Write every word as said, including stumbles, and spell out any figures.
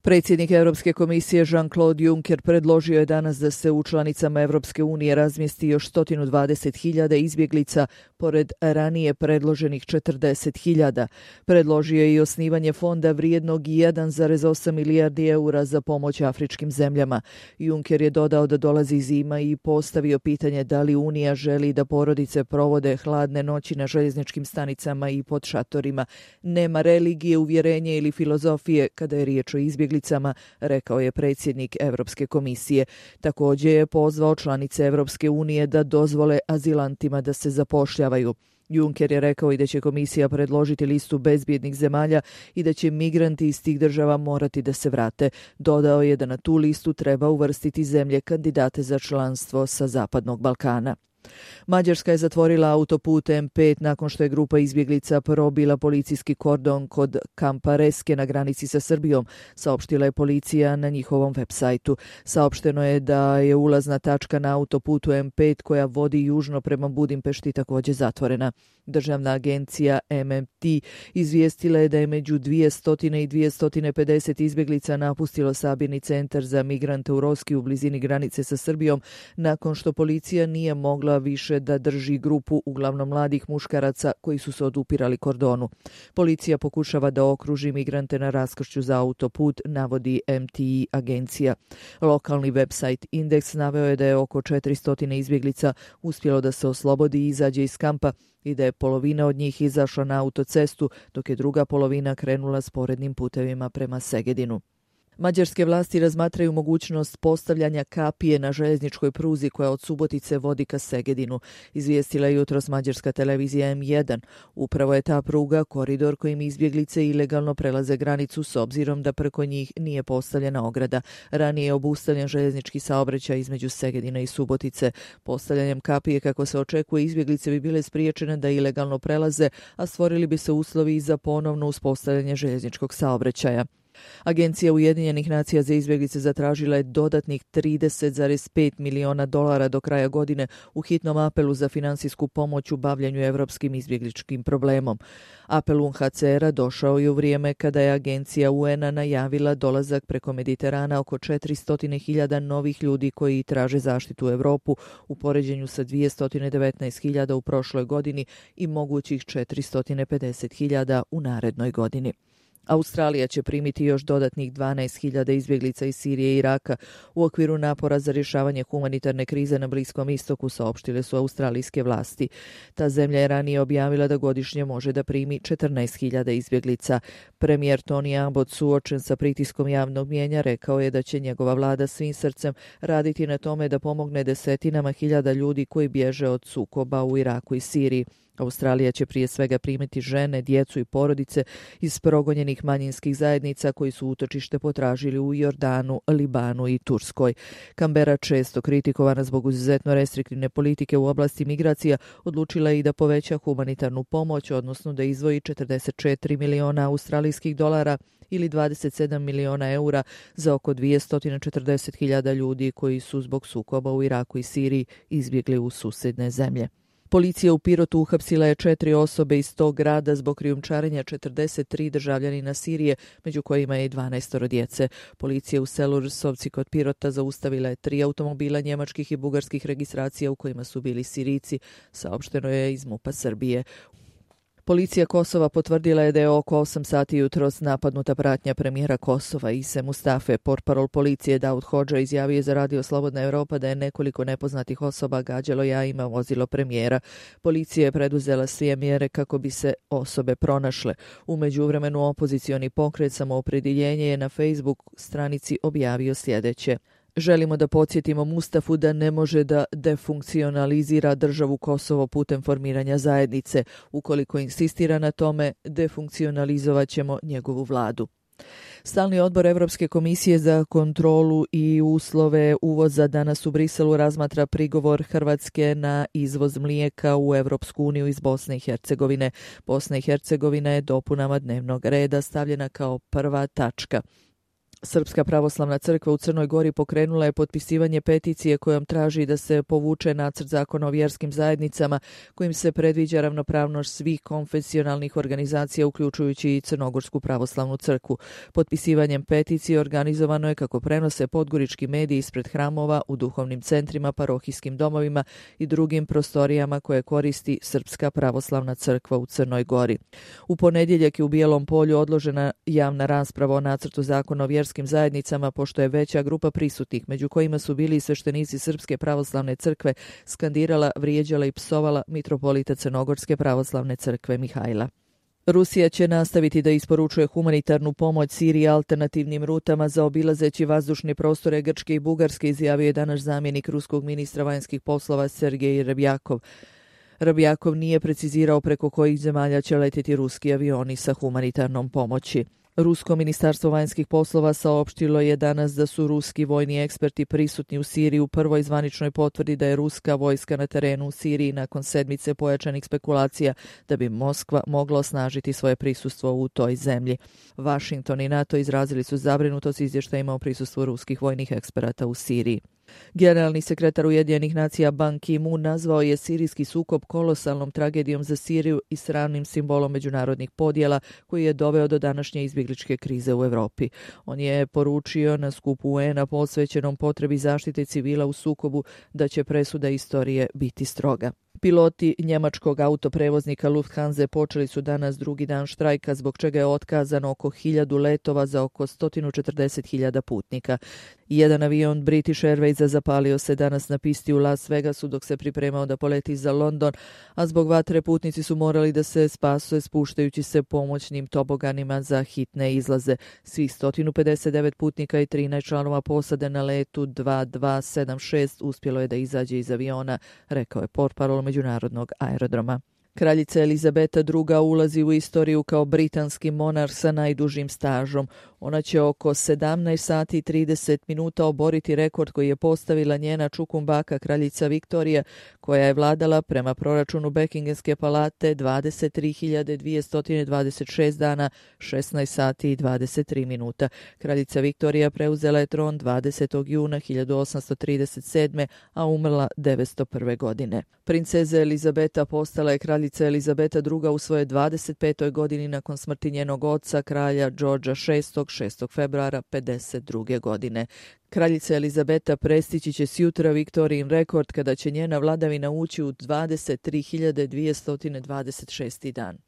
Predsjednik Europske komisije Jean-Claude Juncker predložio je danas da se u članicama Europske unije razmjesti još sto dvadeset hiljada izbjeglica pored ranije predloženih četrdeset hiljada. Predložio je i osnivanje fonda vrijednog jedan zarez osam milijardi eura za pomoć afričkim zemljama. Juncker je dodao da dolazi zima i postavio pitanje da li Unija želi da porodice provode hladne noći na željezničkim stanicama i pod šatorima. Nema religije, uvjerenja ili filozofije kada je riječ o izbjeglicama, rekao je predsjednik Europske komisije. Također je pozvao članice Europske unije da dozvole azilantima da se zapošljavaju. Juncker je rekao i da će komisija predložiti listu bezbjednih zemalja i da će migranti iz tih država morati da se vrate. Dodao je da na tu listu treba uvrstiti zemlje kandidate za članstvo sa Zapadnog Balkana. Mađarska je zatvorila autoput M pet nakon što je grupa izbjeglica probila policijski kordon kod kampa Reske na granici sa Srbijom, saopštila je policija na njihovom web sajtu. Saopšteno je da je ulazna tačka na autoputu M pet koja vodi južno prema Budimpešti također zatvorena. Državna agencija M M T izvijestila je da je među dvjesto i dvjesto pedeset izbjeglica napustilo sabirni centar za migrante u Roski u blizini granice sa Srbijom nakon što policija nije mogla više da drži grupu uglavnom mladih muškaraca koji su se odupirali kordonu. Policija pokušava da okruži migrante na raskršću za autoput, navodi M T I agencija. Lokalni website Indeks naveo je da je oko četiristo izbjeglica uspjelo da se oslobodi i izađe iz kampa i da je polovina od njih izašla na autocestu, dok je druga polovina krenula sporednim putevima prema Segedinu. Mađarske vlasti razmatraju mogućnost postavljanja kapije na željezničkoj pruzi koja od Subotice vodi ka Segedinu, izvijestila je jutros mađarska televizija M jedan. Upravo je ta pruga koridor kojim izbjeglice ilegalno prelaze granicu s obzirom da preko njih nije postavljena ograda. Ranije je obustavljen željeznički saobraćaj između Segedina i Subotice. Postavljanjem kapije, kako se očekuje, izbjeglice bi bile spriječene da ilegalno prelaze, a stvorili bi se uslovi za ponovno uspostavljanje željezničkog saobraćaja. Agencija Ujedinjenih nacija za izbjeglice zatražila je dodatnih trideset zarez pet miliona dolara do kraja godine u hitnom apelu za finansijsku pomoć u bavljanju evropskim izbjegličkim problemom. Apel U N H C R-a došao je u vrijeme kada je agencija U N-a najavila dolazak preko Mediterana oko četiristo hiljada novih ljudi koji traže zaštitu u Europu u poređenju sa dvjesto devetnaest hiljada u prošloj godini i mogućih četiristo pedeset hiljada u narednoj godini. Australija će primiti još dodatnih dvanaest hiljada izbjeglica iz Sirije i Iraka u okviru napora za rješavanje humanitarne krize na Bliskom istoku, saopštile su australijske vlasti. Ta zemlja je ranije objavila da godišnje može da primi četrnaest hiljada izbjeglica. Premijer Tony Abbott, suočen sa pritiskom javnog mnijenja, rekao je da će njegova vlada svim srcem raditi na tome da pomogne desetinama hiljada ljudi koji bježe od sukoba u Iraku i Siriji. Australija će prije svega primiti žene, djecu i porodice iz progonjenih manjinskih zajednica koji su utočište potražili u Jordanu, Libanu i Turskoj. Kambera, često kritikovana zbog izuzetno restriktivne politike u oblasti migracija, odlučila je i da poveća humanitarnu pomoć, odnosno da izdvoji četrdeset četiri miliona australijskih dolara ili dvadeset sedam miliona eura za oko dvjesto četrdeset hiljada ljudi koji su zbog sukoba u Iraku i Siriji izbjegli u susjedne zemlje. Policija u Pirotu uhapsila je četiri osobe iz tog grada zbog krijumčarenja četrdeset tri državljanina Sirije, među kojima je i dvanaest djece. Policija u selu Rsovci kod Pirota zaustavila je tri automobila njemačkih i bugarskih registracija u kojima su bili Sirijci, saopšteno je iz MUP-a Srbije. Policija Kosova potvrdila je da je oko osam sati jutros napadnuta pratnja premijera Kosova Ise Mustafe. Portparol policije Daud Hodža izjavio za Radio Slobodna Europa da je nekoliko nepoznatih osoba gađalo jajima vozilo premijera. Policija je preduzela sve mjere kako bi se osobe pronašle. U međuvremenu opozicioni pokret Samoopredjeljenje je na Facebook stranici objavio sljedeće: želimo da podsjetimo Mustafu da ne može da defunkcionalizira državu Kosovo putem formiranja zajednice. Ukoliko insistira na tome, defunkcionalizovat ćemo njegovu vladu. Stalni odbor Evropske komisije za kontrolu i uslove uvoza danas u Briselu razmatra prigovor Hrvatske na izvoz mlijeka u Evropsku uniju iz Bosne i Hercegovine. Bosna i Hercegovina je dopunama dnevnog reda stavljena kao prva tačka. Srpska pravoslavna crkva u Crnoj Gori pokrenula je potpisivanje peticije kojom traži da se povuče nacrt zakona o vjerskim zajednicama kojim se predviđa ravnopravnost svih konfesionalnih organizacija uključujući i Crnogorsku pravoslavnu crkvu. Potpisivanjem peticije organizovano je, kako prenose podgorički mediji, ispred hramova, u duhovnim centrima, parohijskim domovima i drugim prostorijama koje koristi Srpska pravoslavna crkva u Crnoj Gori. U ponedjeljak je u Bijelom Polju odložena javna rasprava o nacrtu zakona o vjerskim zajednicama, pošto je veća grupa prisutnih, među kojima su bili i sveštenici Srpske pravoslavne crkve, skandirala, vrijeđala i psovala mitropolita Crnogorske pravoslavne crkve Mihajla. Rusija će nastaviti da isporučuje humanitarnu pomoć Siriji alternativnim rutama zaobilazeći vazdušne prostore Grčke i Bugarske, izjavio je danas zamjenik ruskog ministra vanjskih poslova Sergej Rebjakov. Rebjakov nije precizirao preko kojih zemalja će letjeti ruski avioni sa humanitarnom pomoći. Rusko ministarstvo vanjskih poslova saopštilo je danas da su ruski vojni eksperti prisutni u Siriji u prvoj zvaničnoj potvrdi da je ruska vojska na terenu u Siriji nakon sedmice pojačanih spekulacija da bi Moskva mogla osnažiti svoje prisustvo u toj zemlji. Washington i NATO izrazili su zabrinutost izvještajima o prisustvu ruskih vojnih eksperata u Siriji. Generalni sekretar Ujedinjenih nacija Ban Ki-moon nazvao je sirijski sukob kolosalnom tragedijom za Siriju i sramnim simbolom međunarodnih podjela koji je doveo do današnje izbjegličke krize u Europi. On je poručio na skupu U N-a posvećenom potrebi zaštite civila u sukobu da će presuda istorije biti stroga. Piloti njemačkog autoprevoznika Lufthansa počeli su danas drugi dan štrajka, zbog čega je otkazano oko hiljadu letova za oko sto četrdeset hiljada putnika. Jedan avion British Airwaysa zapalio se danas na pisti u Las Vegasu dok se pripremao da poleti za London, a zbog vatre putnici su morali da se spase spuštajući se pomoćnim toboganima za hitne izlaze. Svih sto pedeset devet putnika i trinaest članova posade na letu dva dva sedam šest uspjelo je da izađe iz aviona, rekao je portparol međunarodnog aerodroma. Kraljica Elizabeta druga ulazi u istoriju kao britanski monarh sa najdužim stažom. Ona će oko sedamnaest sati i trideset minuta oboriti rekord koji je postavila njena čukumbaka kraljica Viktorija, koja je vladala prema proračunu Bekinghamske palate dvadeset tri hiljade dvjesto dvadeset šest dana, šesnaest sati i dvadeset tri minuta. Kraljica Viktorija preuzela je tron dvadesetog juna hiljadu osamsto trideset sedme. a umrla devetsto prve. godine. Princeza Elizabeta postala je kraljica Elizabeta druga u svojoj dvadeset petoj godini nakon smrti njenog oca, kralja Đorđa šestog. šestog februara pedeset druge. godine. Kraljica Elizabeta prestići će sjutra Viktorijin rekord kada će njena vladavina ući u dvadeset tri hiljade dvjesto dvadeset šesti. dan.